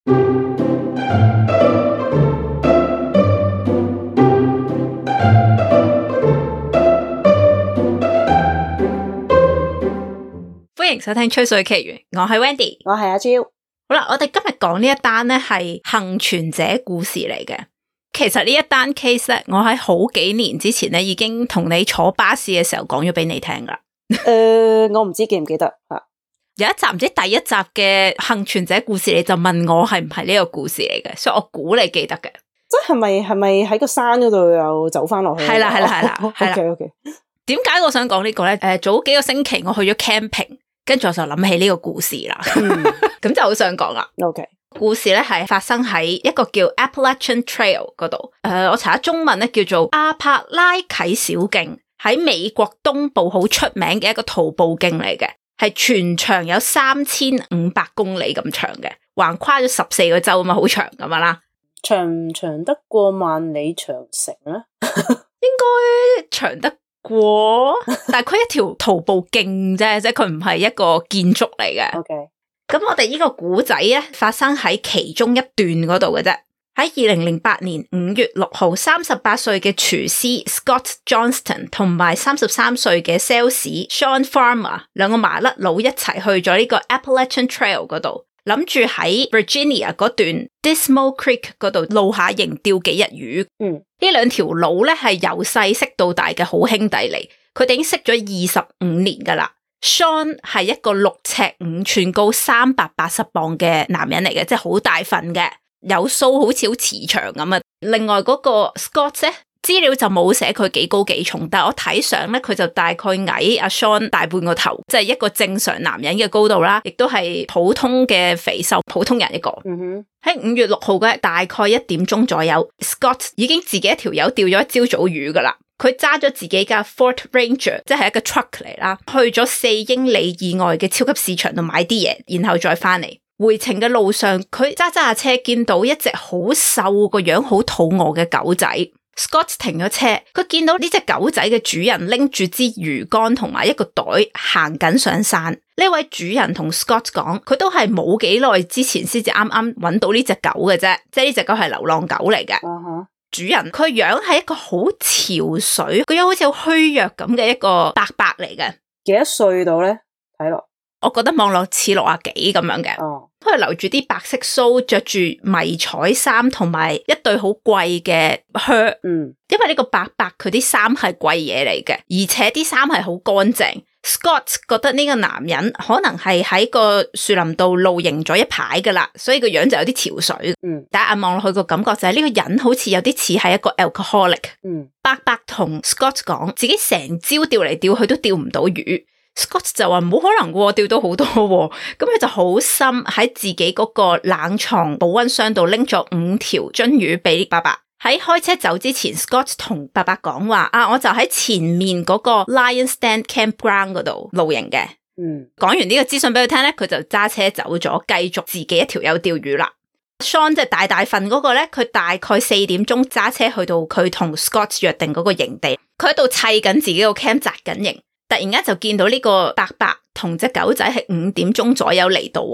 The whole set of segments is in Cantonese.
歡迎收聽吹水奇緣，我係 Wendy， 我係阿蕉。好啦，我哋今日講呢一單咧係幸存者故事嚟嘅。其實呢一單 case 咧，我喺好幾年之前咧已經同你坐巴士嘅時候講咗俾你聽噶。我唔知記唔記得吓。有一集唔知第一集嘅幸存者故事，你就問我係唔係呢個故事嚟嘅，所以我估你記得嘅。即係咪喺個山嗰度又走翻落去？係啦。OK。點解我想講呢個咧？早幾個星期我去咗 camping， 跟住我就諗起呢個故事啦。咁就好想講啦。OK。故事咧係發生喺一個叫 Appalachian Trail 嗰度，我查下中文咧叫做阿帕拉啟小徑，喺美國東部好出名嘅一個徒步徑嚟嘅，係全長有3500公里咁長嘅，橫跨咗14個州啊嘛，好長咁樣啦。長唔長得過萬里長城咧？應該長得過，但係佢一條徒步徑啫，即係佢唔係一個建築嚟嘅。OK。咁我哋呢個古仔咧發生喺其中一段嗰度嘅啫。喺2008年5月6號，38歲嘅廚師 Scott Johnston 同埋33歲嘅 sales Sean Farmer 兩個麻甩佬一齊去咗呢個 Appalachian Trail 嗰度，諗住喺 Virginia 嗰段 Dismal Creek 嗰度露下營釣幾日魚。呢兩條佬咧係由細識到大嘅好兄弟嚟，佢哋已經識咗25年噶啦。Sean 係一個6尺5寸高380磅嘅男人嚟嘅，即係好大份嘅，有鬚好似好慈祥咁啊。另外嗰個 Scott 咧，資料就冇寫佢幾高幾重，但係我睇相咧，佢就大概矮阿 Sean 大半個頭，即係一個正常男人嘅高度啦，亦都係普通嘅肥瘦普通人一個。喺5月6號嘅大概1點鐘左右， Scott 已經自己一條友釣咗一朝早魚噶啦。佢揸咗自己架 Ford Ranger， 即係一個 truck 嚟啦，去咗4英里以外嘅超級市場度買啲嘢，然後再翻嚟。回程嘅路上，佢揸下車見到一隻好瘦個樣好肚餓嘅狗仔。Scott 停咗車，佢見到呢隻狗仔嘅主人拎住支魚竿同埋一個袋行緊上山。呢位主人同 Scott 講，佢都係冇幾耐之前先至啱啱揾到呢隻狗嘅啫，即係呢隻狗係流浪狗嚟嘅。主人佢樣係一個好憔悴，佢樣好似好虛弱咁嘅一個伯伯嚟嘅。幾多歲到咧？睇落，我覺得望落似60幾咁樣嘅。佢留住啲白色鬚，着住迷彩衫同埋一對好貴嘅靴。因為呢個伯伯佢啲衫係貴嘢嚟嘅，而且啲衫係好乾淨。Scott 覺得呢個男人可能係喺個樹林度露營咗一排噶啦，所以個樣就有啲憔悴。但係望落去個感覺就係呢個人好似有啲似係一個 alcoholic。伯伯同 Scott 講自己成朝釣嚟釣去都釣唔到魚。Scott 就話冇可能喎，釣到好多喎。咁佢就好心喺自己嗰個冷藏保溫箱度拎咗5條鱒魚俾伯伯。喺開車走之前 ，Scott 同伯伯講話我就喺前面嗰個 Lion's Den Campground 嗰度露營嘅。講完呢個資訊俾佢聽咧，佢就揸車走咗，繼續自己一條友釣魚啦。Sean 即係大份嗰個咧，佢大概4點鐘揸車去到佢同 Scott 約定嗰個營地，佢喺度砌緊自己個 camp 紮緊營，突然間就見到呢個伯伯同隻狗仔係5點鐘左右嚟到。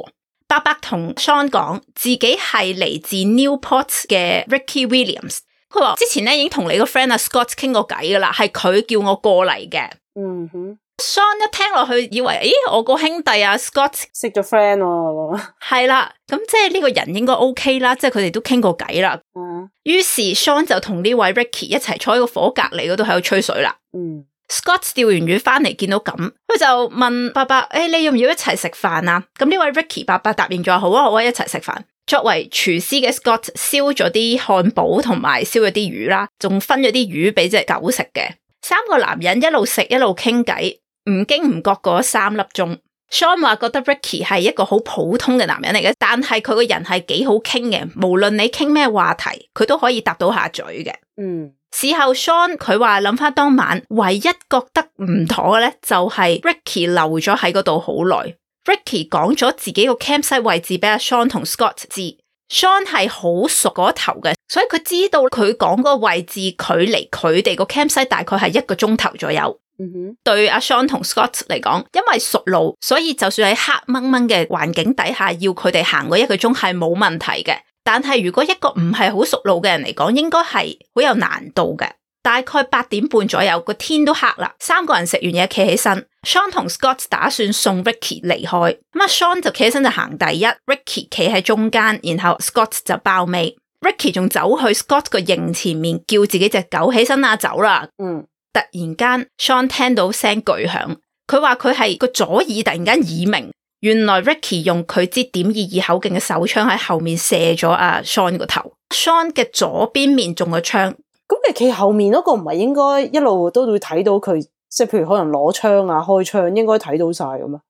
伯伯同 Sean 講自己係嚟自 Newport 嘅 Ricky Williams， 佢話之前咧已經同你個 friend Scott 傾過偈噶啦，係佢叫我過嚟嘅。Sean 一聽落去以為我個兄弟Scott 識咗 friend 喎。係啦，咁即係呢個人應該 OK 啦，即係佢哋都傾過偈啦。於是 Sean 就同呢位 Ricky 一齊坐喺個火隔籬嗰度喺度吹水啦。Scott 釣完魚翻嚟見到咁，佢就問伯伯：你要唔要一齊食飯啊？咁呢位 Ricky 伯伯答應咗，好啊，一齊食飯。作為廚師嘅 Scott 燒咗啲漢堡同埋燒咗啲魚啦，仲分咗啲魚俾隻狗食嘅。3個男人一路食一路傾偈，唔經唔覺過咗3粒鐘。Sean 話覺得 Ricky 係一個好普通嘅男人嚟嘅，但係佢個人係幾好傾嘅，無論你傾咩話題，佢都可以答到下嘴嘅。事後 Sean 佢話諗翻當晚，唯一覺得唔妥嘅咧，就係 Ricky 留咗喺嗰度好耐。Ricky 講咗自己個 campsite 位置俾阿 Sean 同 Scott 知。Sean 係好熟嗰頭嘅，所以佢知道佢講嗰個位置距離佢哋個 campsite 大概係1個鐘頭左右。對阿 Sean 同 Scott 嚟講，因為熟路，所以就算喺黑掹掹嘅環境底下，要佢哋行嗰1個鐘係冇問題嘅。但係如果一個唔係好熟路嘅人嚟講，應該係好有難度嘅。大概8點半左右，個天都黑啦，3個人食完嘢企起身 ，Sean 同 Scott 打算送 Ricky 離開。咁啊 Sean 就企起身就行第一 ，Ricky 企喺中間，然後 Scott 就包尾。Ricky 仲走去 Scott 個營前面叫自己隻狗起身啦，走啦。突然間 Sean 聽到聲巨響，佢話佢係個左耳突然間耳鳴，原來 Ricky 用佢支.22口徑嘅手槍喺後面射咗阿 Sean 個頭。Sean 嘅左邊面中咗槍。咁你企後面嗰個唔係應該一路都會睇到佢，即係譬如可能攞槍啊、開槍，應該睇到晒㗎嘛？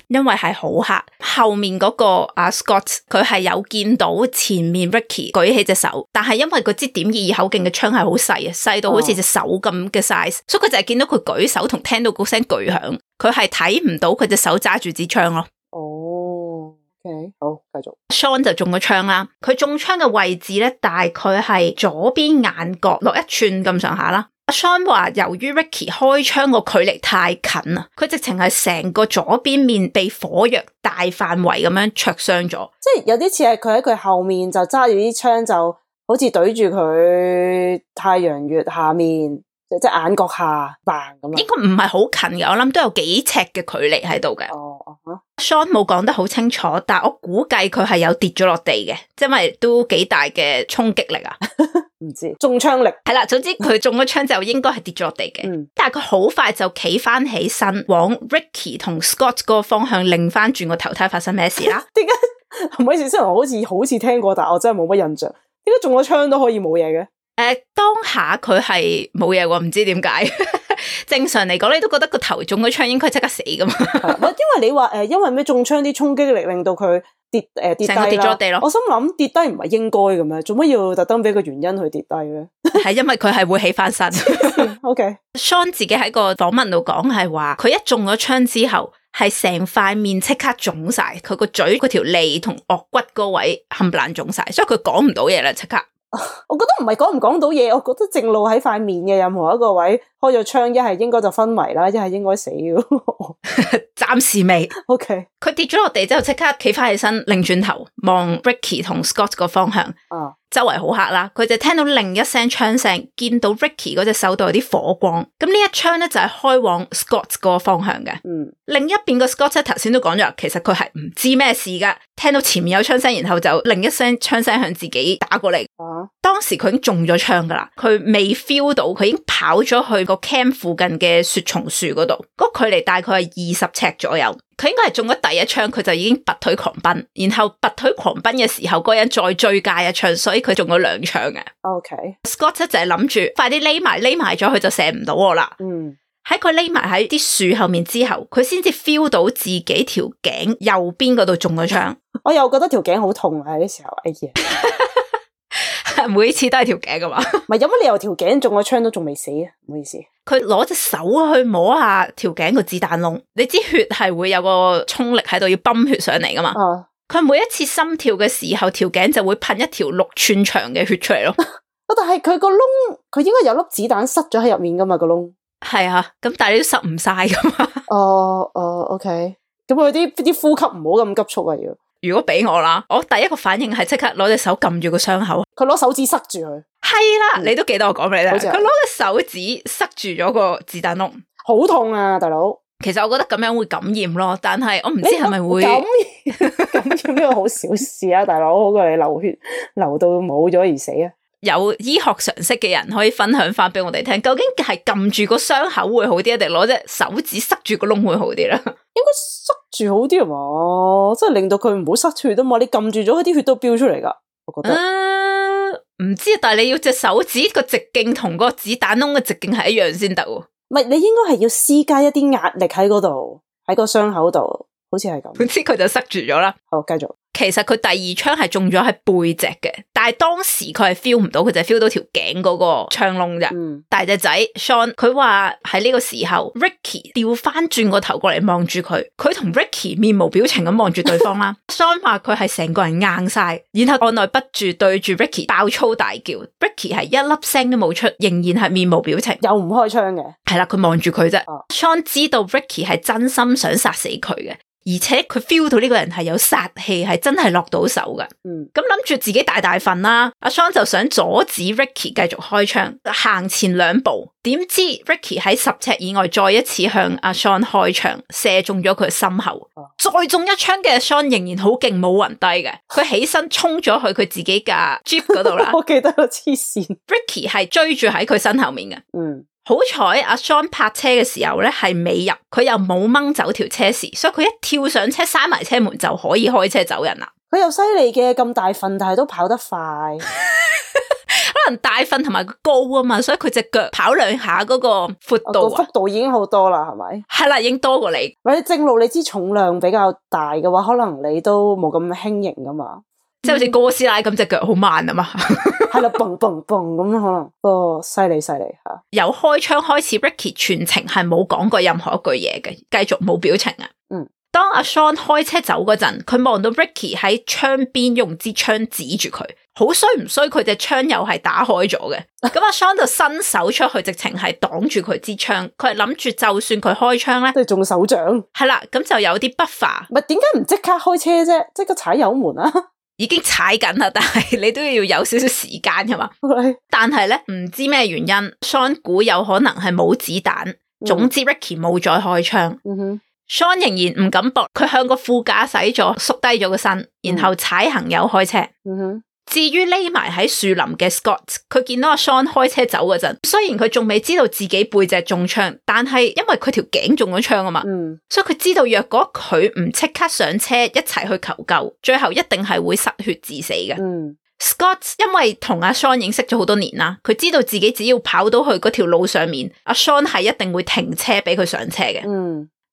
因為係好黑，後面嗰個阿 Scott 佢係有見到前面 Ricky 舉起隻手，但係因為個支.22口徑嘅槍係好細啊，細到好似隻手咁嘅 size，所以佢就係見到佢舉手同聽到嗰聲巨響，佢係睇唔到佢隻手揸住支槍咯。OK， 好，繼續。Sean 就中咗槍啦，佢中槍嘅位置咧，大概係左邊眼角落1寸咁上下啦。阿 Sean 話由於 Ricky 開槍個距離太近啦，佢直情係成個左邊面被火藥大範圍咁樣灼傷咗，即係有啲似係佢喺佢後面就揸住啲槍，就好似對住佢太陽穴下面。即係眼角下扮咁樣，應該唔係好近嘅，我諗都有幾尺嘅距離喺度嘅。Sean 冇講得好清楚，但我估計佢係有跌咗落地嘅，因為都幾大嘅衝擊力啊。唔知中槍力係啦，總之佢中咗槍就應該係跌咗落地嘅。但係佢好快就企翻起身，往 Ricky 同 Scott 嗰個方向擰翻轉個頭，睇發生咩事啦。點解唔好意思，雖然我好似聽過，但我真係冇乜印象。點解中咗槍都可以冇嘢嘅？當下佢係冇嘢喎，唔知點解。正常嚟講，你都覺得個頭中咗槍應該即刻死噶嘛？因為你話因為咩中槍啲衝擊力令到佢跌低啦，跌咗地咯。我心諗跌低唔係應該嘅咩？做乜要特登俾個原因去跌低咧？係因為佢係會起翻身。OK， Sean 自己喺個訪問度講係話，佢一中咗槍之後，係成塊面即刻腫晒，佢個嘴嗰條脷同顎骨嗰位冚唪唥腫晒，所以佢講唔到嘢啦，即刻。我覺得唔係講唔講到嘢，我覺得正路喺塊面嘅任何一個位開咗槍，一係應該就昏迷啦，一係應該死嘅。暫時未。OK， 佢跌咗落地之後，即刻企翻起身，擰轉頭望 Ricky 同 Scott 個方向。周圍好黑啦，佢就聽到另一聲槍聲，見到 Ricky 嗰隻手度有啲火光。咁呢一槍咧就係開往 Scott 嗰個方向嘅。另一邊個 Scott 頭先都講咗，其實佢係唔知咩事噶，聽到前面有槍聲，然後就另一聲槍聲向自己打過嚟。當時佢已經中咗槍噶啦，佢未 feel 到，佢已經跑咗去個 camp 附近嘅雪松樹嗰度，嗰個距離大概係20尺左右。佢應該係中咗第一槍，佢就已經拔腿狂奔，然後拔腿狂奔嘅時候，嗰個人再追加一槍，所以佢中咗2槍嘅。Scott 就係諗住快啲匿埋咗，佢就射唔到我啦。喺佢匿埋喺啲樹後面之後，佢先至 feel 到自己條頸右邊嗰度中咗槍。我又覺得條頸好痛啊！喺啲時候，哎呀，每次都係條頸噶嘛？唔係有乜理由條頸中咗槍都仲未死啊？唔好意思，佢攞隻手去摸下條頸個子彈窿，你知血係會有個衝力喺度要泵血上嚟噶嘛？佢每一次心跳嘅時候，條頸就會噴一條6寸長嘅血出嚟咯。但係佢個窿，佢應該有粒子彈塞咗喺入面噶嘛？個窿係啊，咁但係你都塞唔晒噶嘛？OK， 咁佢啲呼吸唔好咁急促啊！如果俾我啦，我第一個反應係即刻攞隻手撳住個傷口，佢攞手指塞住佢。係啦，你都記得我講俾你聽，佢攞隻手指塞住咗個子彈窿，好痛啊，大佬！其實我覺得咁樣會感染咯，但係我唔知係咪會感染呢個好小事啊，大佬，好過你流血流到冇咗而死啊！有醫學常識嘅人可以分享翻俾我哋聽，究竟係撳住個傷口會好啲，定攞隻手指塞住個窿會好啲咧？應該塞住好啲啊嘛，即係令到佢唔好失血啊嘛。你撳住咗，啲血都飆出嚟噶。我覺得唔知，但係你要隻手指個直徑同個子彈窿嘅直徑係一樣先得。唔係，你應該係要施加一啲壓力喺嗰度，喺個傷口度，好似係咁。總之佢就塞住咗啦。好，繼續。其實佢第二槍係中咗喺背脊嘅，但係當時佢係 feel 唔到，佢就係 feel 到條頸嗰個槍窿啫。大隻仔 Sean 佢話喺呢個時候 Ricky 調翻轉個頭過嚟望住佢，佢同 Ricky 面無表情咁望住對方啦。Sean 話佢係成個人硬晒，然後按捺不住對住 Ricky 爆粗大叫。Ricky 係一粒聲都冇出，仍然係面無表情，又唔開槍嘅。係啦，佢望住佢啫。Sean 知道 Ricky 係真心想殺死佢嘅。而且佢 feel 到呢個人係有殺氣，係真係落到手㗎。咁諗住自己大份啦，阿 Sean 就想阻止 Ricky 繼續開槍，行前2步，點知 Ricky 喺10尺以外再一次向阿 Sean 開槍，射中咗佢心口。再中一槍嘅 Sean 仍然好勁，冇暈低嘅，佢起身衝咗去佢自己架 Jeep 嗰度啦。我記得啦，黐線。Ricky 係追住喺佢身後面嘅。好彩阿 Sean 泊車嘅時候咧係尾入，佢又冇掹走條車匙，所以佢一跳上車閂埋車門就可以開車走人啦。佢又犀利嘅，咁大份但係都跑得快。可能大份同埋高啊嘛，所以佢隻腳跑2下嗰個闊度幅度已經好多啦，係咪？係啦，已經多過你。或者正路你知重量比較大嘅話，可能你都冇咁輕盈噶嘛。即係好似哥斯拉咁隻腳好慢啊嘛，係啦，蹦蹦蹦咁可能，犀利吓。由開槍開始 ，Ricky 全程係冇講過任何一句嘢嘅，繼續冇表情啊。當阿 Sean 開車走嗰陣，佢望到 Ricky 喺窗邊用支槍指住佢，好衰唔衰？佢隻槍又係打開咗嘅。咁阿 Sean 就伸手出去，直情係擋住佢支槍。佢係諗住就算佢開槍咧，即係中手掌。係啦，咁就有啲buffer。咪點解唔即刻開車啫？即刻踩油門啊！已經踩緊啦，但係你都要有少少時間噶嘛。但係咧，唔知咩原因 ，Sean 估有可能係冇子彈。總之 Ricky 冇再開槍。Sean 仍然唔敢搏，佢向個副駕駛座縮低咗個身，然後踩行油開車。至於匿埋喺樹林嘅 Scott， 佢見到阿 Sean 開車走嗰陣，雖然佢仲未知道自己背脊中槍，但係因為佢條頸中咗槍啊嘛，所以佢知道若果佢唔即刻上車一齊去求救，最後一定係會失血致死嘅。Scott 因為同阿 Sean 認識咗好多年啦，佢知道自己只要跑到去嗰條路上面，阿 Sean 係一定會停車俾佢上車嘅。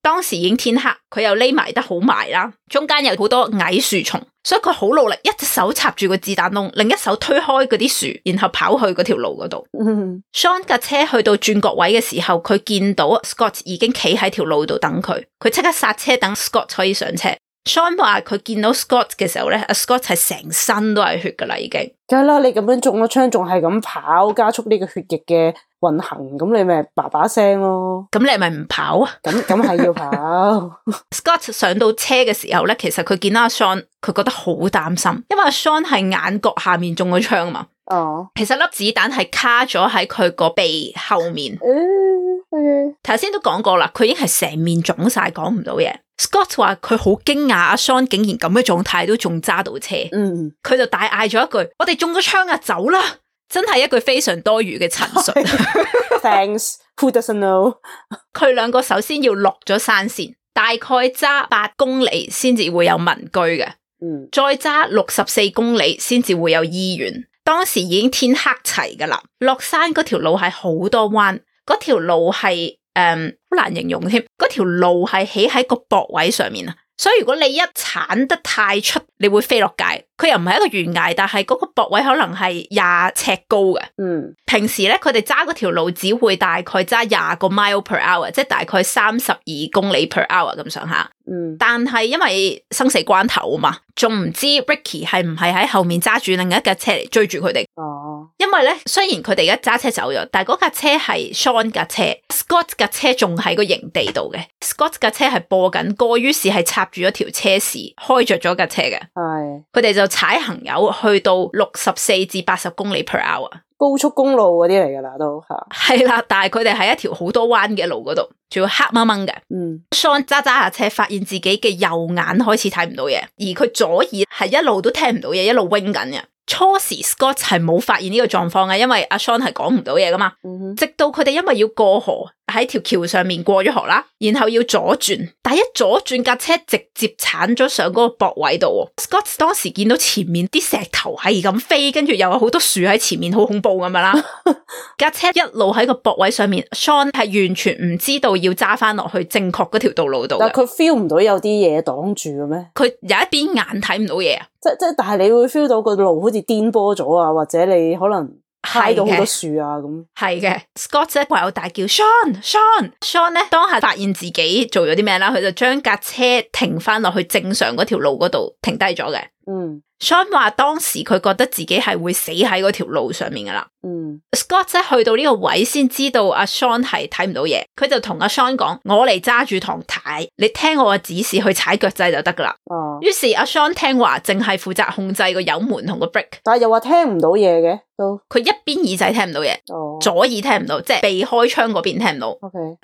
當時已經天黑，佢又匿埋得好埋啦，中間有好多矮樹叢，所以佢好努力，一隻手插住個子彈窿，另一手推開嗰啲樹，然後跑去嗰條路嗰度。Sean 架車去到轉角位嘅時候，佢見到 Scott 已經企喺條路度等佢，佢即刻剎車等 Scott 可以上車。Sean 話佢見到 Scott 嘅時候咧，阿 Scott 係成身都係血噶啦，已經。梗係啦，你咁樣中咗槍，仲係咁跑，加速呢個血液嘅運行，咁你咪叭叭聲咯。咁你係咪唔跑啊？咁係要跑。Scott 上到車嘅時候咧，其實佢見到阿 Sean， 佢覺得好擔心，因為阿 Sean 係眼角下面中咗槍啊嘛。其實粒子彈係卡咗喺佢個鼻後面。頭先都講過啦，佢已經係成面腫晒，講唔到嘢。Scott 話佢好驚訝，阿 Sean 竟然咁嘅狀態都仲揸到車。佢就大嗌咗一句：我哋中咗槍啊，走啦！真係一句非常多餘嘅陳述。Thanks, who doesn't know？ 佢兩個首先要落咗山線，大概揸8公里先至會有民居嘅。再揸64公里先至會有醫院。當時已經天黑齊噶啦，落山嗰條路係好多彎，嗰條路係好難形容添。嗰條路係起喺個駁位上面啊，所以如果你一鏟得太出，你會飛落街。佢又唔係一個懸崖，但係嗰個駁位可能係20尺高嘅。平時咧，佢哋揸嗰條路只會大概揸20個 mile per hour， 即係大概32公里 per hour 咁上下。但係因為生死關頭啊嘛，仲唔知 Ricky 係唔係喺後面揸住另一架車嚟追住佢哋。因為咧，雖然佢哋而家揸車走咗，但係嗰架車係 Sean 架車 ，Scott 架車仲喺個營地度嘅。Scott 架車係播緊歌，於是係插住咗條車匙，開着咗架車嘅。佢哋就踩行油去到64至80公里 per hour， 高速公路嗰啲嚟噶啦，都係啦。但係佢哋喺一條好多彎嘅路嗰度，仲要黑掹掹嘅。Sean 揸下車，發現自己嘅右眼開始睇唔到嘢，而佢左耳係一路都聽唔到嘢，一路 wing 緊嘅。初時 Scott 係冇發現呢個狀況嘅，因為阿 Sean 係講唔到嘢噶嘛。直到佢哋因為要過河，喺條橋上面過咗河啦，然後要左轉，但係一左轉架車直接鏟咗上嗰個駁位度。Scott 當時見到前面啲石頭係咁飛，跟住又有好多樹喺前面，好恐怖咁樣啦。架車一路喺個駁位上面，Sean 係完全唔知道要揸翻落去正確嗰條道路度。但係佢 feel 唔到有啲嘢擋住嘅咩？佢有一邊眼睇唔到嘢啊！即但係你會 feel 到個路好似顛簸咗啊，或者你可能揩到好多樹啊咁。係嘅 ，Scott 咧唯有大叫 Sean 咧當下發現自己做咗啲咩啦，佢就將架車停翻落去正常嗰條路嗰度停低咗嘅。Sean 話當時佢覺得自己係會死喺嗰條路上面噶啦。Scott 咧去到呢個位先知道阿 Sean 係睇唔到嘢，佢就同阿 Sean 講：我嚟揸住堂軚，你聽我嘅指示去踩腳掣就得噶啦。於是阿 Sean 聽話，淨係負責控制個油門同個 brake。但係又話聽唔到嘢嘅，都佢一邊耳仔聽唔到嘢，左耳聽唔到，即係避開窗嗰邊聽唔到。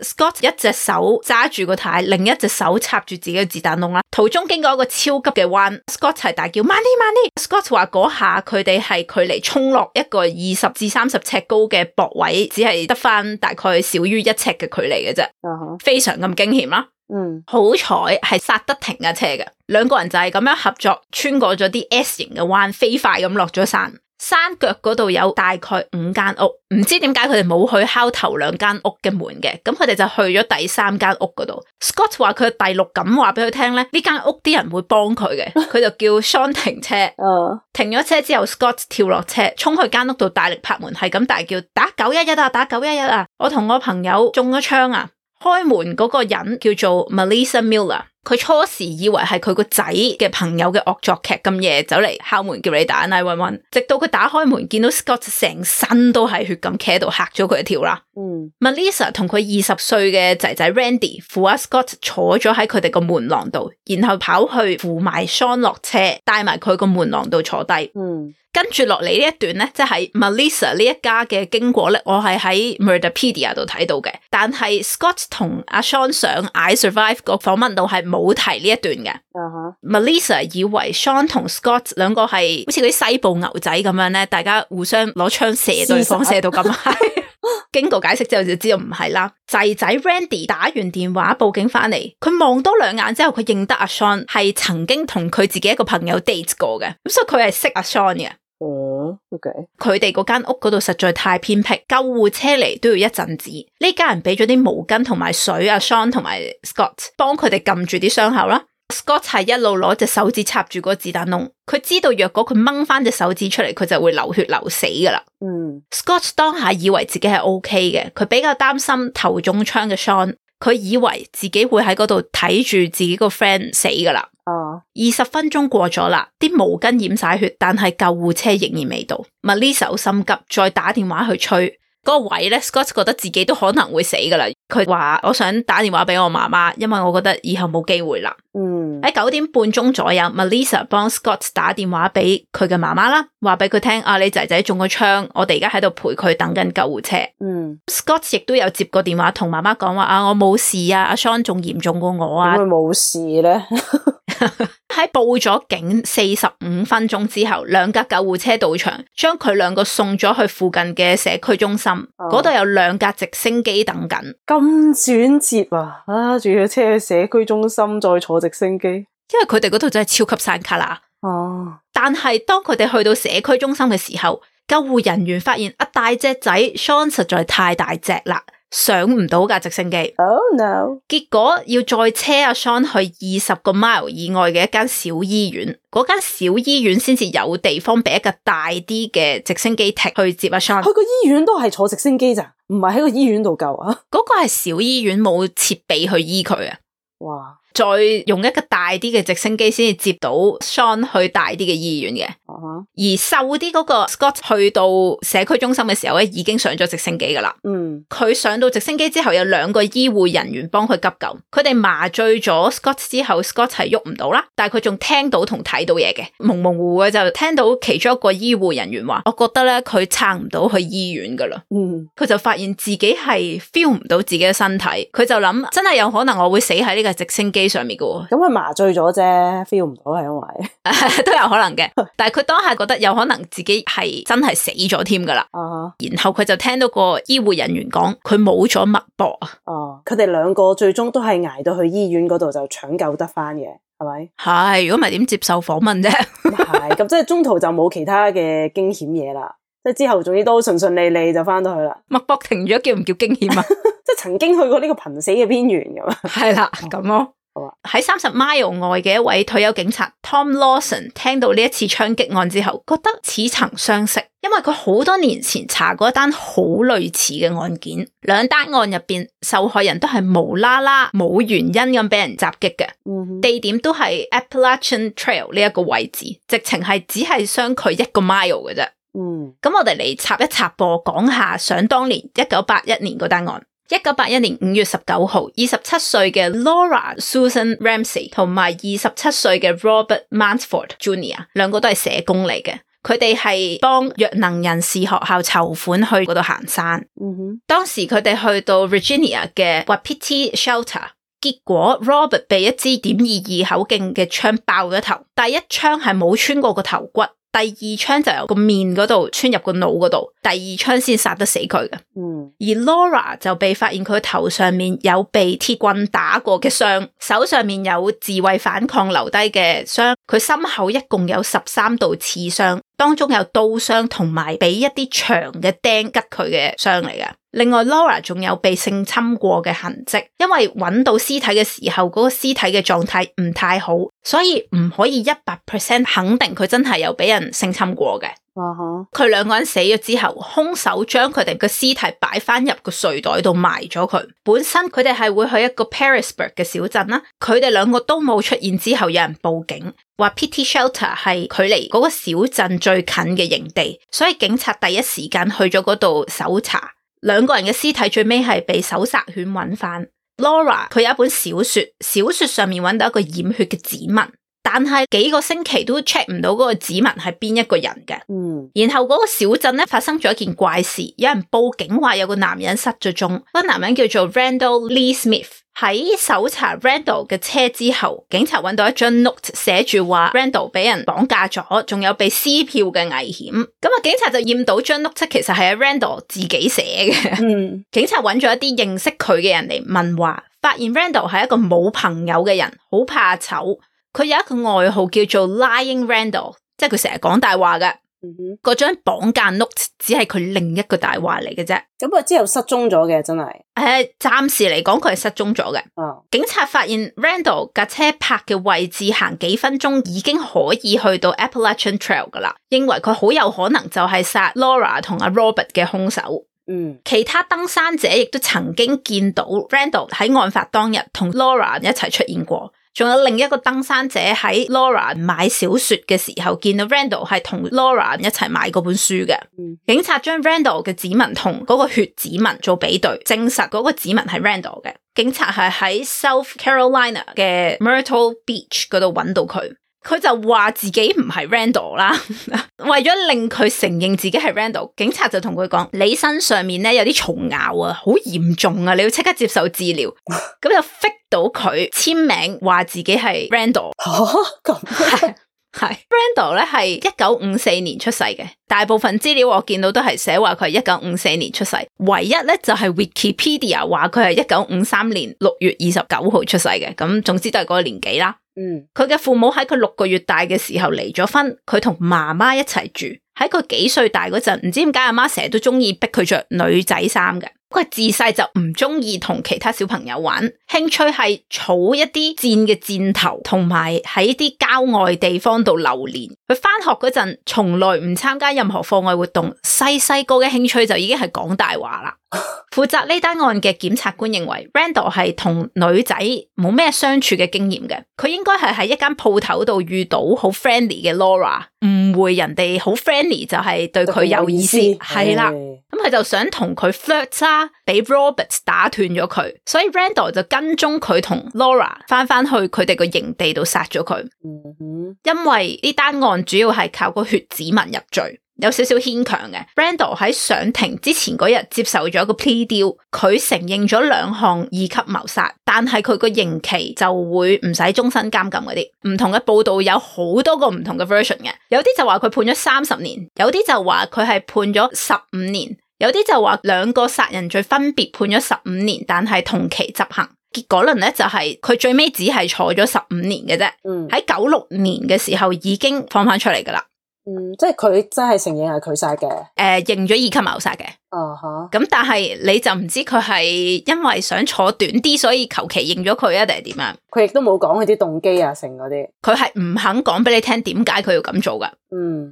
Scott 一隻手揸住個軚，另一隻手插住自己嘅子彈窿啦。途中經過一個超級嘅彎 ，Scott 係大叫慢啲慢啲。Scott 話嗰下佢哋係距離衝落一個20至30尺高嘅駁位，只係得翻大概少於1尺嘅距離嘅啫，非常咁驚險啦。好彩係剎得停架車嘅，兩個人就係咁樣合作，穿過咗啲 S 型嘅彎，飛快咁落咗山。山腳嗰度有大概5間屋，唔知點解佢哋冇去敲頭2間屋嘅門嘅，咁佢哋就去咗第3間屋嗰度。Scott 話佢第六感話俾佢聽咧，呢間屋啲人會幫佢嘅，佢就叫 Sean 停車。停咗車之後 Scott 跳落車，衝去間屋度大力拍門，係咁大叫打911啊，打911啊！我同我朋友中咗槍啊！開門嗰個人叫做 Melissa Miller， 佢初時以為係佢個仔嘅朋友嘅惡作劇，咁夜走嚟敲門叫你打911，直到佢打開門見到 Scott 成身都係血咁企喺度，嚇咗佢一跳啦。Melissa 同佢20歲嘅仔仔 Randy 扶阿 Scott 坐咗喺佢哋個門廊度，然後跑去扶埋 Sean 落車，帶埋佢個門廊度坐低。跟住落嚟呢一段咧，即係 Melissa 呢一家嘅經過咧，我係喺 Murderpedia 度睇到嘅。但係 Scott 同阿 Sean 上 I Survive 個訪問度係冇提呢一段嘅。Melissa 以為 Sean 同 Scott 兩個係好似嗰啲西部牛仔咁樣咧，大家互相攞槍射對方，射到咁係。經過解釋之後就知道唔係啦。仔仔 Randy 打完電話報警翻嚟，佢望多2眼之後，佢認得阿 Sean 係曾經同佢自己一個朋友 date 過嘅，咁所以佢係識阿 Sean 嘅。佢哋嗰間屋嗰度實在太偏僻，救護車嚟都要一陣子。呢家人俾咗啲毛巾同埋水，阿 Sean 同埋 Scott 幫佢哋撳住啲傷口啦。Scott 係一路攞隻手指插住個子彈窿，佢知道若果佢掹翻隻手指出嚟，佢就會流血流死噶啦。Scott 當下以為自己係 OK 嘅，佢比較擔心頭中槍嘅 Sean， 佢以為自己會喺嗰度睇住自己個 friend 死噶啦。20分鐘過咗啦，啲毛巾染晒血，但係救護車仍然未到。Melissa 好心急，再打電話去催。嗰個位咧 ，Scott 覺得自己都可能會死噶啦。佢話我想打電話俾我媽媽，因為我覺得以後冇機會啦。喺9點半鐘左右 ，Melissa 幫 Scott 打電話俾佢嘅媽媽啦，話俾佢聽啊，你仔仔中咗槍，我哋而家喺度陪佢等緊救護車。Scott 亦都有接過電話同媽媽講話啊，我冇事啊，阿 Sean 仲嚴重過我啊。點會冇事咧？喺報咗警45分鐘之後，2架救護車到場，將佢2個送咗去附近嘅社區中心。嗰度有2架直升機等緊。咁轉折啊！仲要車去社區中心，再坐直升機。因為佢哋嗰度真係超級山卡啦。但係當佢哋去到社區中心嘅時候，救護人員發現大隻仔 Sean 實在太大隻啦，上唔到架直升機。Oh no！ 結果要再車阿 Sean 去20個 mile 以外嘅一間小醫院，嗰間小醫院先至有地方俾一架大啲嘅直升機踢去接阿 Sean。去個醫院都係坐直升機咋，唔係喺個醫院度救啊？嗰個係小醫院，冇設備去醫佢啊。哇！再用一個大啲嘅直升機先至接到 Sean 去大啲嘅醫院嘅。而瘦啲嗰個 Scott 去到社區中心嘅時候咧，已經上咗直升機噶啦。佢上到直升機之後，有2個醫護人員幫佢急救。佢哋麻醉咗 Scott 之後 ，Scott 係喐唔到啦，但係佢仲聽到同睇到嘢嘅，蒙蒙糊糊嘅就聽到其中一個醫護人員話：我覺得咧佢撐唔到去醫院噶啦。佢就發現自己係 feel 唔到自己嘅身體，佢就諗真係有可能我會死喺呢個直升機機上面嘅喎。咁佢麻醉咗啫 ，feel 唔到係因為都有可能嘅，但係佢當下覺得有可能自己係真係死咗添噶啦。然後佢就聽到個醫護人員講佢冇咗脈搏啊。佢哋兩個最終都係捱到去醫院嗰度就搶救得翻嘅，係咪？係，如果唔係點接受訪問啫？係，咁即係中途就冇其他嘅驚險嘢啦。即係之後總之都順順利利就翻到去啦。脈搏停咗叫唔叫驚險啊？即係曾經去過呢個瀕死嘅邊緣咁啊。係啦，咁咯。喺30 mile 外嘅一位退休警察 Tom Lawson 聽到呢一次槍擊案之後，覺得似曾相識，因為佢好多年前查過一單好類似嘅案件，兩單案入邊受害人都係無啦啦冇原因咁俾人襲擊嘅，地點都係 Appalachian Trail 呢一個位置，直情係只係相距1個 mile 嘅啫。咁我哋嚟插一插播，講下想當年1981年嗰單案。1981年5月19號，27歲嘅 Laura Susan Ramsey 同埋27歲嘅 Robert Mansford Jr. 兩個都係社工嚟嘅，佢哋係幫弱能人士學校籌款去嗰度行山。當時佢哋去到 Virginia 嘅 Wapiti Shelter， 結果 Robert 被一支.22口徑嘅槍爆咗頭，第一槍係冇穿過個頭骨，第二槍就由個面嗰度穿入個腦嗰度，第二槍先殺得死佢嘅。而 Laura 就被發現佢頭上面有被鐵棍打過嘅傷，手上面有自衛反抗留低嘅傷，佢心口一共有13道刺傷，當中有刀傷同埋俾一啲長嘅釘拮佢嘅傷嚟嘅。另外 Laura 仲有被性侵過嘅痕跡，因為揾到屍體嘅時候，嗰個屍體嘅狀態唔太好，所以唔可以100% 肯定佢真係有俾人性侵過嘅。佢兩個人死咗之後，兇手將佢哋嘅屍體擺翻入個睡袋度埋咗佢。本身佢哋係會去一個 Parisburg 嘅小鎮啦，佢哋兩個都冇出現之後，有人報警話 Wapiti Shelter 係距離嗰個小鎮最近嘅營地，所以警察第一時間去咗嗰度搜查。兩個人嘅屍體最尾係被搜殺犬揾翻。Laura 佢有一本小說，小說上面揾到一個染血嘅指紋，但係幾個星期都 check 唔到嗰個指紋係邊一個人嘅。然後嗰個小鎮咧發生咗一件怪事，有人報警話有個男人失咗蹤，嗰個男人叫做 Randall Lee Smith。喺搜查 Randall 嘅車之後，警察揾到一張 note 寫住話 Randall 俾人綁架咗，仲有被撕票嘅危險。咁啊，警察就驗到張 note 其實係阿 Randall 自己寫嘅。警察揾咗一啲認識佢嘅人嚟問話，發現 Randall 係一個冇朋友嘅人，好怕醜。佢有一個外號叫做 Lying Randall， 即係佢成日講大話嘅。嗰張綁架 note 只係佢另一個大話嚟嘅啫。咁佢之後失蹤咗嘅，真係。暫時嚟講佢係失蹤咗嘅。警察發現 Randall 架車泊嘅位置行幾分鐘已經可以去到 Appalachian Trail 噶啦，認為佢好有可能就係殺 Laura 同阿 Robert 嘅兇手。其他登山者亦都曾經見到 Randall 喺案發當日同 Laura 一齊出現過。仲有另一個登山者喺 Laura 買小說嘅時候，見到 Randall 係同 Laura 一齊買嗰本書嘅。警察將 Randall 嘅指紋同嗰個血指紋做比對，證實嗰個指紋係 Randall 嘅。警察係喺 South Carolina 嘅 Myrtle Beach 嗰度揾到佢。佢就話自己唔係 Randall 啦，為咗令佢承認自己係 Randall， 警察就同佢講：你身上面咧有啲蟲咬啊，好嚴重啊，你要即刻接受治療。咁就 fit 到佢簽名話自己係 Randall。咁係 Randall 咧係1954年出世嘅，大部分資料我見到都係寫話佢係1954年出世，唯一咧就係 Wikipedia 話佢係1953年6月29號出世嘅，咁總之都係嗰個年紀啦。佢嘅父母喺佢6個月大嘅時候離咗婚，佢同媽媽一齊住。喺佢幾歲大嗰陣，唔知點解阿媽成日都中意逼佢着女仔衫嘅。佢自細就唔中意同其他小朋友玩，興趣係儲一啲箭嘅箭頭，同埋喺啲郊外地方度流連。佢翻學嗰陣，從來唔參加任何課外活動。細個嘅興趣就已經係講大話啦。負責呢單案嘅檢察官認為 Randall 係同女仔冇咩相處嘅經驗嘅，佢應該係喺一間鋪頭度遇到好 friendly 嘅 Laura， 誤會人哋好 friendly 就係對佢有意思，係啦。咁佢就想同佢 flirt 啦，俾 Robert 打斷咗佢，所以 Randall 就跟蹤佢同 Laura 翻去佢哋個營地度殺咗佢。因為呢單案主要係靠個血指紋入罪。有少少牽強嘅。Randall 喺上庭之前嗰日接受咗個 plea deal， 佢承認咗2項2級謀殺，但係佢個刑期就會唔使終身監禁嗰啲。唔同嘅報道有好多個唔同嘅 version 嘅，有啲就話佢判咗30年，有啲就話佢係判咗15年，有啲就話2個殺人罪分別判咗15年，但係同期執行。結果論咧就係佢最尾只係坐咗15年嘅啫。喺96年嘅時候已經放翻出嚟噶啦。即係佢真係承認係佢殺嘅。認咗2級謀殺嘅。咁但係你就唔知佢係因為想坐短啲，所以求其認咗佢啊，定係點樣？佢亦都冇講佢啲動機啊，成嗰啲。佢係唔肯講俾你聽點解佢要咁做噶。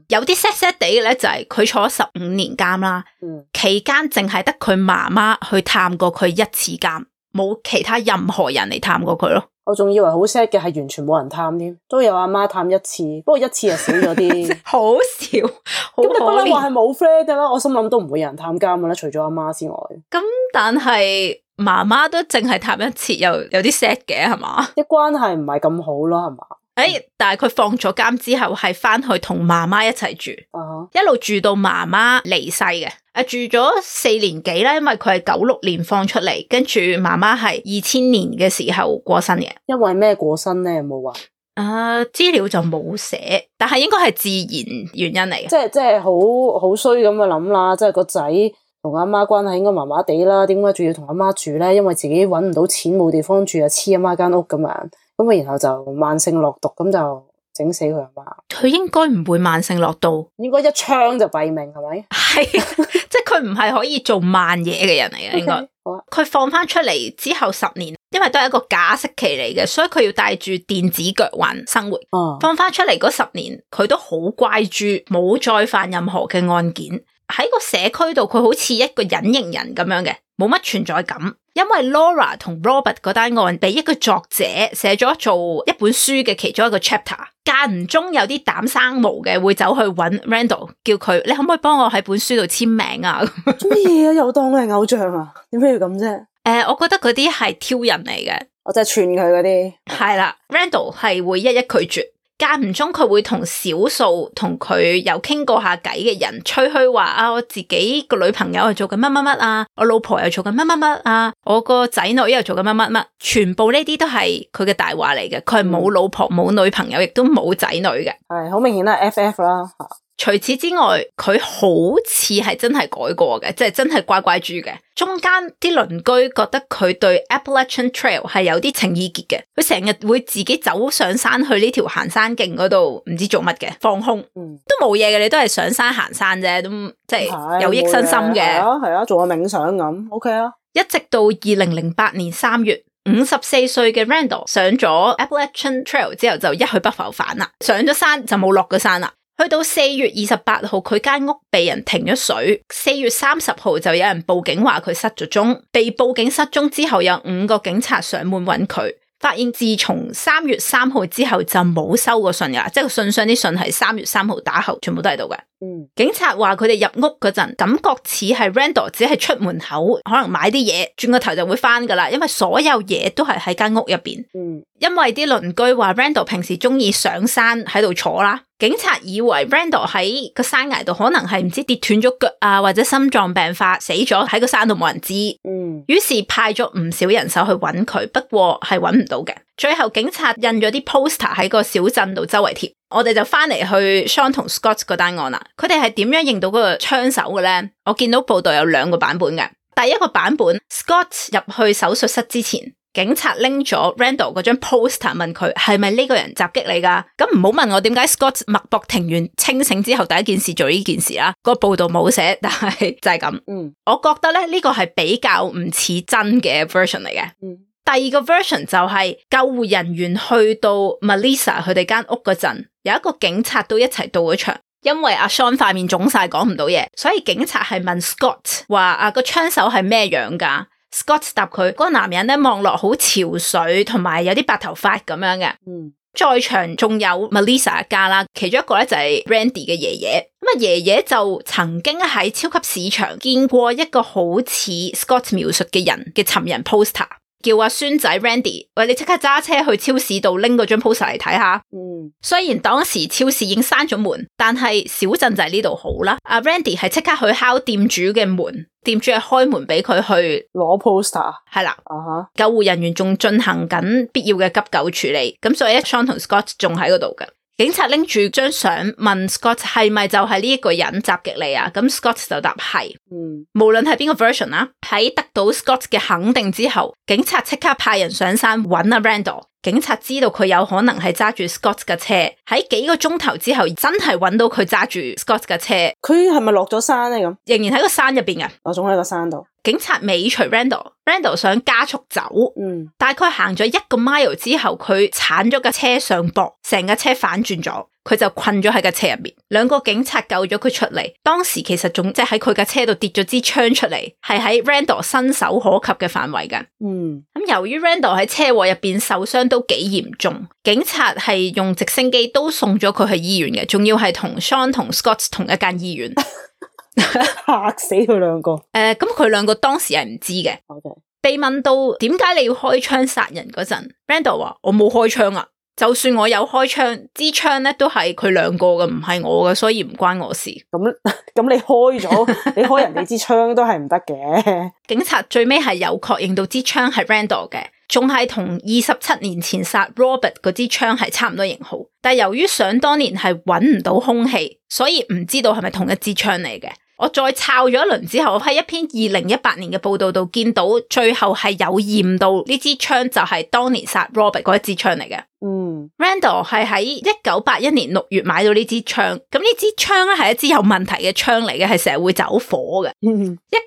有啲 sad 地嘅咧就係佢坐咗15年監啦。期間淨係得佢媽媽去探過佢1次監，冇其他任何人嚟探過佢咯。我仲以為好 sad 嘅係完全冇人探添，都有阿媽探1次，不過1次就少咗啲。好少，咁你不嬲話係冇 friend 噶啦，我心諗都唔會有人探監噶啦，除咗阿媽之外。咁但係媽媽都淨係探1次，又有啲 sad 嘅係嘛？啲關係唔係咁好咯，係嘛？但係佢放咗監之後係翻去同媽媽一齊住，一路住到媽媽離世嘅。住咗4年幾啦，因為佢係96年放出嚟，跟住媽媽係2000年嘅時候過身嘅。因為咩過身咧？有冇話？資料就冇寫，但係應該係自然原因嚟嘅。即係好衰咁嘅諗啦，即係個仔同阿媽關係應該麻麻地啦，點解仲要同阿媽住咧？因為自己搵唔到錢冇地方住啊，黐阿媽間屋咁樣，咁啊然後就慢性落毒，咁就整死佢阿媽。佢應該唔會慢性落毒，應該一槍就斃命，係咪？係，即係佢唔係可以做慢嘢嘅人嚟嘅，應該。好啊。佢放翻出嚟之後10年，因為都係一個假釋期嚟嘅，所以佢要帶住電子腳環生活。放翻出嚟嗰10年，佢都好乖豬，冇再犯任何嘅案件。喺個社區度，佢好似一個隱形人咁樣嘅，冇乜存在感。因為 Laura 同 Robert 嗰單案俾一個作者寫咗做一本書嘅其中一個 chapter， 間唔中有啲膽生毛嘅會走去揾 Randall， 叫佢你可唔可以幫我喺本書度簽名啊？做乜嘢啊？又當佢係偶像啊？點解要咁啫？我覺得嗰啲係挑人嚟嘅，我真係串佢嗰啲。係啦 ，Randall 係會一一拒絕。間唔中佢會同少數同佢有傾過下偈嘅人吹噓話啊，我自己個女朋友又做緊乜乜乜啊，我老婆又做緊乜乜乜啊，我個仔女又做緊乜乜乜，全部呢啲都係佢嘅大話嚟嘅。佢係冇老婆冇女朋友，亦都冇仔女嘅。係好明顯啦 ，FF 啦。除此之外，佢好似係真係改過嘅，即係真係乖乖豬嘅。中間啲鄰居覺得佢對 Appalachian Trail 係有啲情意結嘅，佢成日會自己走上山去呢條行山徑嗰度，唔知做乜嘅，放空，都冇嘢嘅，你都係上山行山啫，都即係有益身心嘅。係啊，做下冥想咁 ，OK 啊。一直到2008年3月，54歲嘅 Randall 上咗 Appalachian Trail 之後就一去不復返啦，上咗山就冇落過山啦。去到4月28號，佢間屋被人停咗水。4月30號就有人報警話佢失咗蹤。被報警失蹤之後，有5個警察上門揾佢，發現自從3月3號之後就冇收過信噶，即係個信箱啲信係3月3號打後，全部都喺度嘅。警察話佢哋入屋嗰陣，感覺似係 Randall 只係出門口，可能買啲嘢，轉個頭就會翻噶啦，因為所有嘢都係喺間屋入邊。因為啲鄰居話 Randall 平時中意上山喺度坐啦，警察以為 Randall 喺個山崖度可能係唔知跌斷咗腳啊，或者心臟病發死咗喺個山度冇人知。於是派咗唔少人手去揾佢，不過係揾唔到嘅。最後警察印咗啲 poster 喺個小鎮度周圍貼。我哋就翻嚟去 Sean 同 Scott 嗰單案啦。佢哋係點樣認到嗰個槍手嘅咧？我見到報道有2個版本嘅。第一個版本 ，Scott 入去手術室之前，警察拎咗 Randall 嗰張 poster 問佢係咪呢個人襲擊你噶？咁唔好問我點解 Scott 脈搏停完清醒之後第一件事做呢件事啦。個報道冇寫，但係就係咁。我覺得咧呢個係比較唔似真嘅 version 嚟嘅。第二個 version 就係救護人員去到 Melissa 佢哋間屋嗰陣，有一個警察都一齊到咗場，因為阿 Sean 塊面腫晒講唔到嘢，所以警察係問 Scott 話個槍手係咩樣噶？ Scott 答佢嗰個男人咧望落好憔悴，同埋有啲白頭髮咁樣嘅。在場仲有 Melissa 一家啦，其中一個咧就係 Randy 嘅爺爺。咁啊爺爺就曾經喺超級市場見過一個好似 Scott 描述嘅人嘅尋人 poster。叫阿孫仔 Randy， 喂，你即刻揸車去超市度拎嗰張 poster 嚟睇下。雖然當時超市已經閂咗門，但係小鎮就係呢度好啦。阿 Randy 係即刻去敲店主嘅門，店主係開門俾佢去攞 poster。係啦，救護人員仲進行緊必要嘅急救處理，咁所以 Sean 同 Scott 仲喺嗰度嘅。警察拎住張相問 Scott 係咪就係呢一個人襲擊你啊？咁 Scott 就答係。無論係邊個 version 啦，喺得到 Scott 嘅肯定之後，警察即刻派人上山揾阿 Randall。警察知道佢有可能係揸住 Scott 嘅車，喺幾個鐘頭之後真係揾到佢揸住 Scott 嘅車。佢係咪落咗山咧？咁仍然喺個山入邊嘅，我仲喺個山度。警察尾隨 Randall 想加速走，大概行咗1個 mile 之後，佢鏟咗架車上膊，成架車反轉咗，佢就困咗喺架車入邊。2個警察救咗佢出嚟，當時其實仲即係喺佢架車度跌咗支槍出嚟，係喺 Randall 伸手可及嘅範圍㗎。咁由於 Randall 喺車禍入邊受傷都幾嚴重，警察係用直升機都送咗佢去醫院嘅，仲要係同 Sean 同 Scott 同一間醫院。嚇死佢兩個。咁佢兩個當時係唔知嘅。被問到點解你要開槍殺人嗰陣 ，Randall 話我冇開槍啊，就算我有開槍，支槍咧都係佢兩個嘅，唔係我嘅，所以唔關我事。咁你開咗，你開人哋支槍都係唔得嘅。警察最尾係有確認到支槍係 Randall 嘅，仲係同27年前殺 Robert 嗰支槍係差唔多型號，但由於想當年係揾唔到兇器，所以唔知道係咪同一支槍嚟嘅。我再抄咗一輪之後，喺一篇2018年嘅報道度見到，最後係有驗到呢支槍就係當年殺 Robert 嗰一支槍嚟嘅。Randall 係喺1981年6月買到呢支槍，咁呢支槍咧係一支有問題嘅槍嚟嘅，係成日會走火嘅。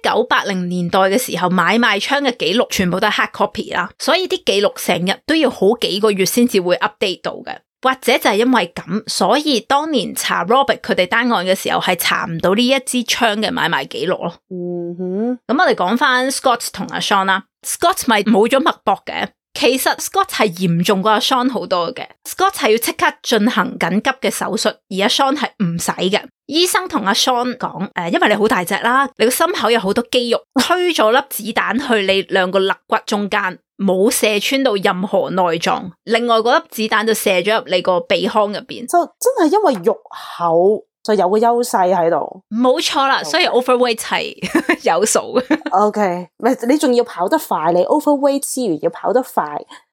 1980年代嘅時候買賣槍嘅記錄全部都係 hard copy 啦，所以啲記錄成日都要好幾個月先至會 update 到嘅。或者就係因為咁，所以當年查 Robert 佢哋單案嘅時候係查唔到呢一支槍嘅買賣記錄咯。咁我哋講翻 Scott 同阿 Sean 啦 ，Scott 咪冇咗脈搏嘅，其實 Scott 係嚴重過阿 Sean 好多嘅。Scott 係要即刻進行緊急嘅手術，而阿 Sean 係唔使嘅。醫生同阿 Sean 講，因為你好大隻啦，你個心口有好多肌肉，推咗粒子彈去你兩個肋骨中間。冇射穿到任何內臟，另外嗰粒子彈就射咗入你個鼻腔入邊，就真係因為肉厚就有個優勢喺度。冇錯啦，所以 overweight 係有數嘅。OK， 你仲要跑得快，你 overweight 之餘要跑得快，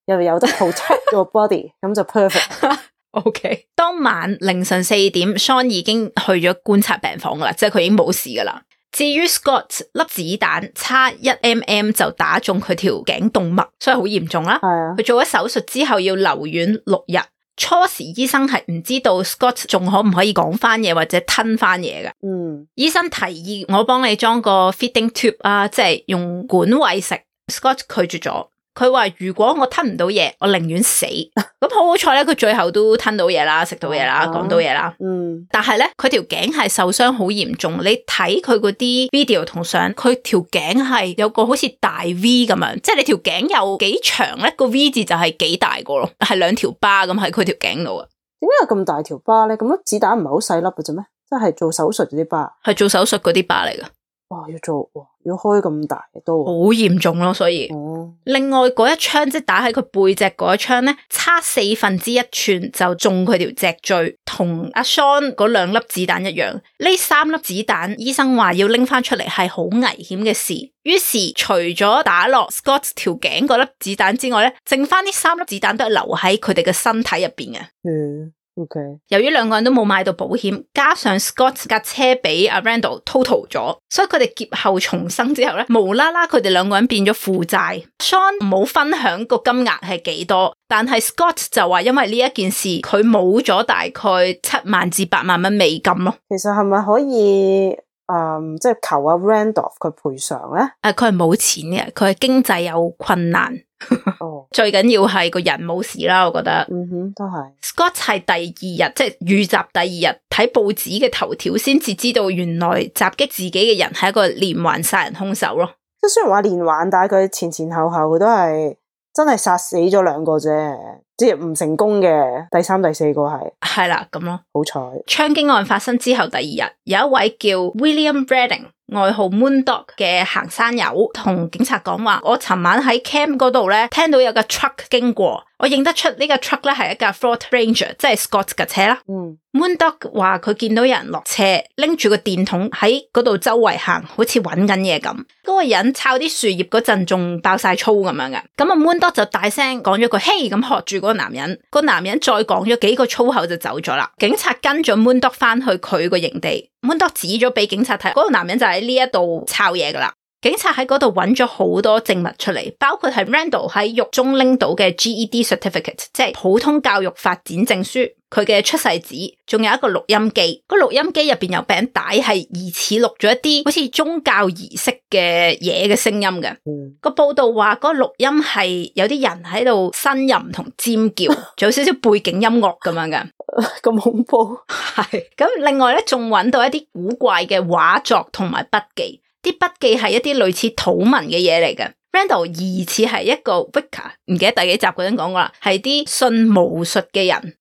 又有得 protect your body， 咁就 perfect。OK， 當晚凌晨4點 ，Sean 已經去咗觀察病房噶啦，即係佢已經冇事噶啦。至於 Scott 粒子彈差1 mm 就打中佢條頸動脈，所以好嚴重啦。佢做咗手術之後要留院6日。初時醫生係唔知道 Scott 仲可唔可以講翻嘢或者吞翻嘢嘅。醫生提議我幫你裝個 feeding tube 啊，即係用管餵食。Scott 拒絕咗。佢話如果我吞唔到嘢，我寧願死。咁好彩咧，佢最後都吞到嘢啦，食到嘢啦，講到嘢啦。但係咧，佢條頸係受傷好嚴重。你睇佢嗰啲 video 同相，佢條頸係有個好似大 V 咁樣，即係你條頸有幾長咧，個 V 字就係幾大個咯，係2條疤咁喺佢條頸度啊。點解有咁大條疤咧？咁粒子彈唔係好細粒嘅啫咩？即係做手術嗰啲疤，係做手術嗰啲疤嚟噶。要開咁大都好嚴重咯，所以另外嗰一槍即係打喺佢背脊嗰一槍咧，差1/4寸就中佢條脊椎，同阿 Sean 嗰2粒子彈一樣。呢3粒子彈，醫生話要拎翻出嚟係好危險嘅事。於是除咗打落 Scott 條頸嗰粒子彈之外咧，剩翻呢3粒子彈都係留喺佢哋嘅身體入邊嘅。Okay. 由於2個人都冇買到保險，加上 Scott 架車俾阿 Randall total 咗，所以佢哋劫後重生之後咧，無啦啦佢哋2個人變咗負債。Sean 冇分享個金額係幾多，但係 Scott 就話因為呢一件事，佢冇咗大概7萬至8萬蚊美金咯。其實係咪可以即係求阿 Randall 佢賠償咧？佢係冇錢嘅，佢係經濟有困難。最緊要係個人冇事啦，我覺得。都係。Scott 係第2日，即係遇襲第2日，睇報紙嘅頭條先至知道原來襲擊自己嘅人係一個連環殺人兇手咯。即係雖然話連環，但係佢前後佢都係真係殺死咗2個啫，即係唔成功嘅第3、第4個係啦咁咯。好彩。槍擊案發生之後第2日，有一位叫 William Redding 外號 Moondog 嘅行山友同警察講話，我尋晚喺 camp 嗰度咧聽到有架 truck 經過，我認得出呢個 truck 咧係一架 Ford Ranger， 即係 Scott 嘅車啦。Moondog 話佢見到有人落車，拎住個電筒喺嗰度周圍行，好似揾緊嘢咁。嗰個人抄啲樹葉嗰陣仲爆晒粗咁樣嘅，咁啊 Moondog 就大聲講咗句嘿咁喝住嗰個男人，個男人再講咗幾個粗口就走咗啦。警察跟咗 Moondog 翻去佢個營地，Moondog 指咗俾警察睇，嗰個男人就喺呢一度抄嘢噶啦。警察喺嗰度揾咗好多證物出嚟，包括係 Randall 喺獄中拎到嘅 GED certificate， 即係普通教育發展證書，佢嘅出世紙，仲有一個錄音機。個錄音機入邊有餅帶，係疑似錄咗一啲好似宗教儀式嘅嘢嘅聲音嘅。個報道話嗰個錄音係有啲人喺度呻吟同尖叫，仲有少少背景音樂咁樣嘅。咁恐怖。係咁，另外咧仲揾到一啲古怪嘅畫作同埋筆記。啲筆記係一啲類似土文嘅嘢嚟嘅。Randall 疑似係一個 Wicca， 唔記得第幾集嗰陣講過啦，係啲信巫術嘅人。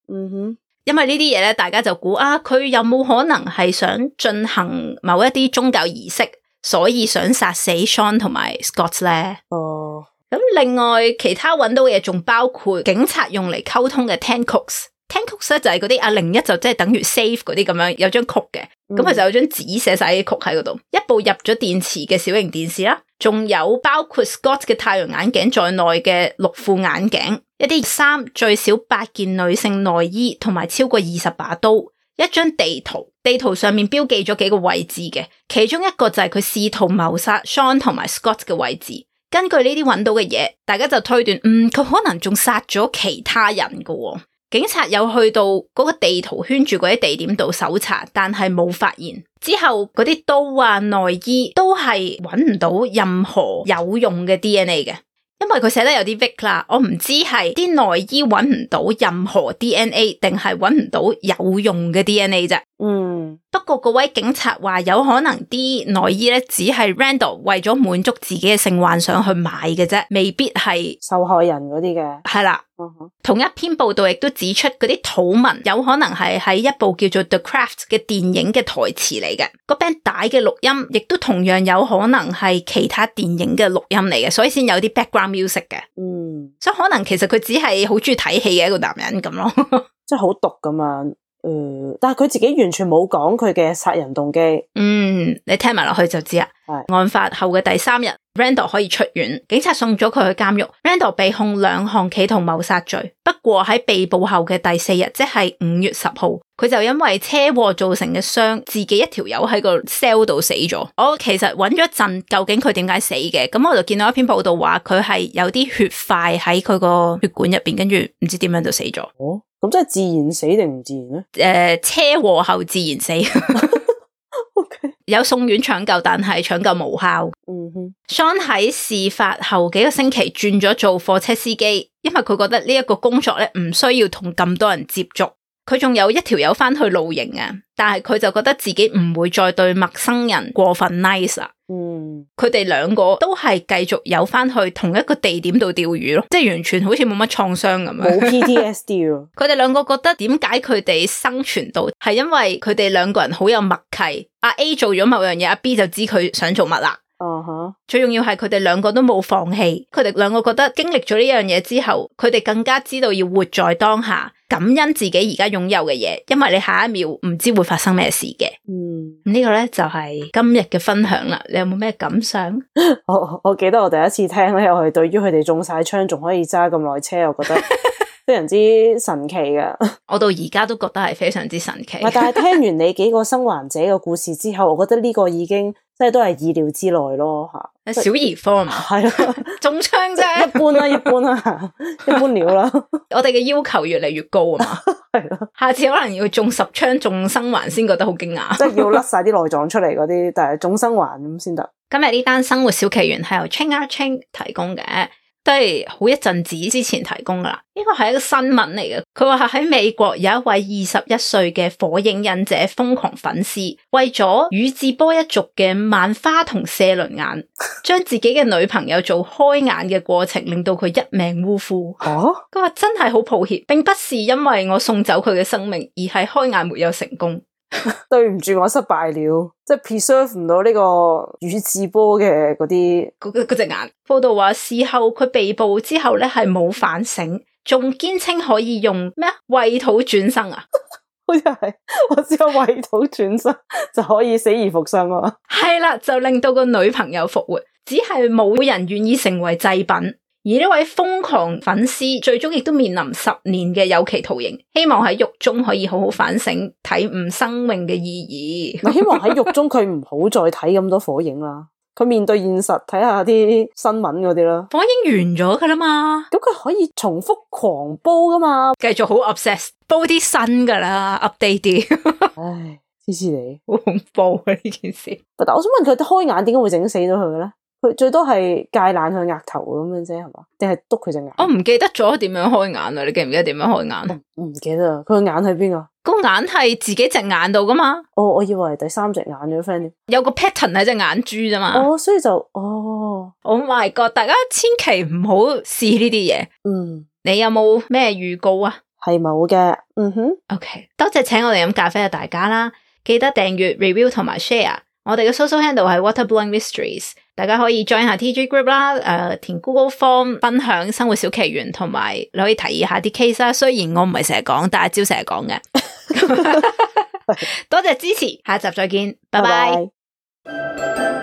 因為呢啲嘢咧，大家就估啊，佢有冇可能係想進行某一啲宗教儀式，所以想殺死 Sean 同埋 Scott 咧？咁另外其他揾到嘅嘢仲包括警察用嚟溝通嘅 10 cooks。10 cooks 咧就係嗰啲01就即係等於 save 嗰啲咁樣，有張曲嘅，咁佢就有張紙寫晒啲曲喺嗰度，一部入咗電池嘅小型電視啦，仲有包括 Scott 嘅太陽眼鏡在內嘅6副眼鏡，一啲衫，最少8件女性內衣，同埋超過20把刀，一張地圖，地圖上面標記咗幾個位置嘅，其中一個就係佢試圖謀殺 Sean 同埋 Scott 嘅位置。根據呢啲揾到嘅嘢，大家就推斷，佢可能仲殺咗其他人㗎喎。警察有去到嗰個地圖圈住嗰啲地點度搜查，但係冇發現。之後嗰啲刀啊、內衣都係揾唔到任何有用嘅 DNA 嘅，因為佢寫得有啲 vague 啦，我唔知係啲內衣揾唔到任何 DNA 定係揾唔到有用嘅 DNA 啫。不過嗰位警察話有可能啲內衣咧只係 Randall 為咗滿足自己嘅性幻想去買嘅啫，未必係受害人嗰啲嘅。係啦。同一篇報道亦都指出嗰啲土文有可能係喺一部叫做 The Craft 嘅電影嘅台詞嚟嘅，個 band 帶嘅錄音亦都同樣有可能係其他電影嘅錄音嚟嘅，所以先有啲 background music 嘅。所以可能其實佢只係好中意睇戲嘅一個男人咁咯，即係好毒咁樣。但係佢自己完全冇講佢嘅殺人動機。你聽埋落去就知啦。案發後嘅第3日 Randall 可以出院，警察送咗佢去監獄。Randall 被控2項企圖謀殺罪，不過喺被捕後嘅第4日，即係5月10號，佢就因為車禍造成嘅傷，自己一條友喺個 cell 度死咗。我其實揾咗一陣，究竟佢點解死嘅？咁我就見到一篇報道話佢係有啲血塊喺佢個血管入邊，跟住唔知點樣就死咗。咁即係自然死定唔自然咧？車禍後自然死。Okay. 有送院搶救，但係搶救無效。Sean 喺事發後幾個星期轉咗做貨車司機，因為佢覺得呢一個工作咧唔需要同咁多人接觸。佢仲有一條友翻去露營啊，但係佢就覺得自己唔會再對陌生人過分 nice 啦。佢哋兩個都係繼續有翻去同一個地點度釣魚咯，即係完全好似冇乜創傷咁樣，冇 PTSD 咯。佢哋兩個覺得點解佢哋生存到，係因為佢哋兩個人好有默契。阿 A 做咗某樣嘢，阿 B 就知佢想做乜啦。最重要係佢哋兩個都冇放棄，佢哋兩個覺得經歷咗呢樣嘢之後，佢哋更加知道要活在當下，感恩自己而家擁有嘅嘢，因為你下一秒唔知會發生咩事嘅。呢個咧就係今日嘅分享啦，你有冇咩感想？我記得我第一次聽咧，我係對於佢哋中晒槍仲可以揸咁耐車，我覺得非常之神奇噶。我到而家都覺得係非常之神奇。但係聽完你幾個生還者嘅故事之後，我覺得呢個已經即係都係意料之內咯吓。小兒科嘛，係啦，中槍啫，一般啦，一般啦，一般料啦。我哋嘅要求越嚟越高啊嘛，係咯。下次可能要中10槍中生還先覺得好驚訝，即係要甩晒啲內臟出嚟嗰啲，但係中生還咁先得。今日呢單生活小奇緣係由 Ching 提供嘅。都係好一陣子之前提供噶啦，呢個係一個新聞嚟嘅。佢話喺美國有一位21歲嘅火影忍者瘋狂粉絲，為咗宇智波一族嘅萬花同射輪眼，將自己嘅女朋友做開眼嘅過程，令到佢一命嗚呼。佢話真係好抱歉，並不是因為我送走佢嘅生命，而係開眼沒有成功。對唔住，我失敗了，即係 preserve 唔到呢個宇智波嘅嗰啲嗰隻眼。報道話事後佢被捕之後咧係冇反省，仲堅稱可以用咩穢土轉生啊？好似係我只有穢土轉生就可以死而復生啊！係啦，就令到個女朋友復活，只係冇人願意成為祭品。而呢位瘋狂粉絲最終亦都面臨10年嘅有期徒刑，希望喺獄中可以好好反省，體悟生命嘅意義。希望喺獄中佢唔好再睇咁多火影啦，佢面對現實睇下啲新聞嗰啲啦。火影完咗噶啦嘛，咁佢可以重複狂煲噶嘛，繼續好 obsess 煲啲新噶啦 ，update 啲。唉，黐黐你，好恐怖啊呢件事。但我想問佢開眼點解會整死咗佢嘅咧？佢最多係戒爛佢額頭咁樣啫，係嘛？定係篤佢隻眼？我唔記得咗點樣開眼啊！你記唔記得點樣開眼？我唔記得啦。佢個眼喺邊啊？個眼係自己隻眼度噶嘛？我以為第三隻眼咗 friend。有個 pattern 喺隻眼珠啫嘛。所以就Oh my god！大家千祈唔好試呢啲嘢。你有冇咩預告啊？係冇嘅。OK， 多謝請我哋飲咖啡嘅大家啦，記得訂閱、review 同埋 share。我哋嘅 social handle 係 Waterblowing Mysteries， 大家可以 join 下 TG group 啦，填 Google Form 分享生活小奇緣，同埋你可以提議下啲 case 啦。雖然我唔係成日講，但係朝成日講嘅。多謝支持，下一集再見，拜拜。